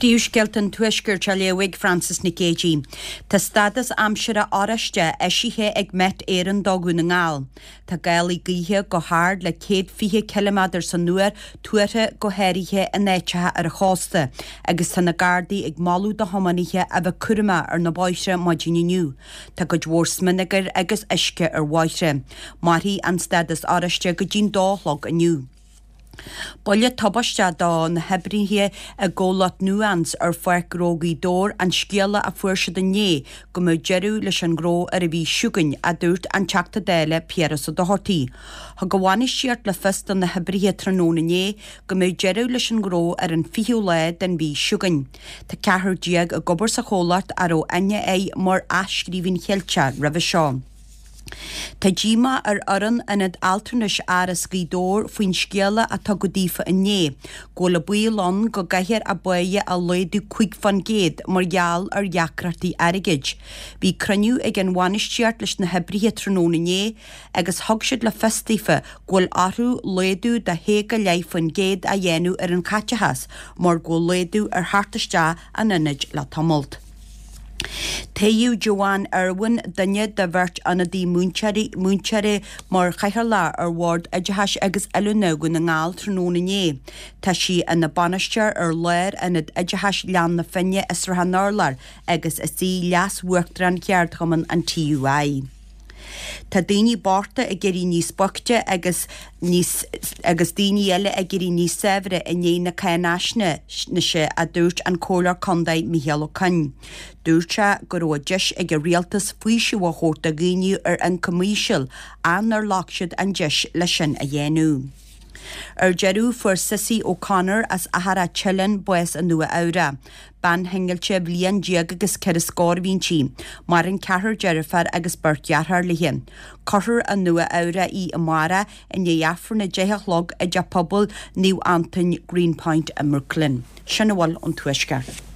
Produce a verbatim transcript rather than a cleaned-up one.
Príomhscéalta an Tuaiscirt á léamh ag Frances Nic Géadaigh. Tá stádas aimsire oráiste eisithe ag Met Éireann do Dhún na nGall. Tá gálaí gaoithe go hard le céad fiche ciliméadar san uair tuartha go háirithe in áiteacha ar an chósta agus tá na Gardaí ag moladh do thiománaithe a bheith cúramach ar na bóithre maidin inniu. Tá cuid mhór smionagair agus uisce ar bhóithre. Mairfidh an stádas oráiste go dtí'n dó a chlog inniu. Buille tubaisteach do na hoibrithe i gcomhlacht Nuance ar Pháirc Ghnó Ghaoth Dobhair an scéala a fuair siad inné go mbeadh deireadh leis an ngnó ar an mhí seo chugainn, a dúirt an Teachta Dála Piaras Ó Dochartaigh. Thug an bhainistíocht le fios do na hoibrithe tráthnóna inné go mbeadh deireadh leis an ngnó ar an fichiú lá den mhí seo chugainn. Tá ceathrar déag ag obair sa chomhlacht a raibh aithne air mar Athscríbhinn Cheilteach roimhe seo. Tá díomá ar fhoireann Ionad Altranais Áras Ghaoth Dobhair faoin scéala a tugadh daofa inné go bhfuil an baol ann go gcaithfear a bpáighe a laghdú cúig fán gcéad mar gheall ar dheacrachtaí airgid. Bhí cruinniú ag an bhainistíocht leis na hoibrithe tráthnóna inné agus thug siad le fios daofa go bhfuil orthu laghdú de shé go leith faoin gcéad a dhéanamh ar an chaiteachas mar go bhfuil laghdú ar theacht isteach an ionaid le tamalt. Toghadh Joanne Irwin, duine de bheirt ionadaí múinteoirí múinteoirí mar chathaoirleach ar Bhord Oideachais agus Oiliúna Dhún na nGall tráthnóna inné. Tá sí ina bainisteoir ar Lár-Ionad Oideachais Ghleann na Finne i Srath an Urláir agus is í leas-uachtarán Cheardchumann an TUI. Tá daoine bochta ag éirí níos boichte agus níos agus daoine eile ag éirí níos saibhre i ndiaidh na cáinaisnéise, a dúirt an Comhairleoir Contae Micheál Ó Coinn. Dúirt sé go raibh deis ag an rialtas faoiseamh a thabhairt do dhaoine ar ioncam íseal ach nár ghlac siad an deis leis sin a dhéanamh. Ar deireadh, fuair Cissy O'Connor as Achadh Teileann bás i Nua Eabhrac. Bean shingillte bliain déag agus ceithre scór a bhí inti. Maireann ceathrar deirfiúr agus beirt dheartháir léi. Cuirfear i Nua Eabhrac í amárach i ndiaidh Aifreann a deich a chlog i dTeach Pobail Naomh Antain, Greenpoint i mBrooklyn. Sin a bhfuil ón Tuaisceart.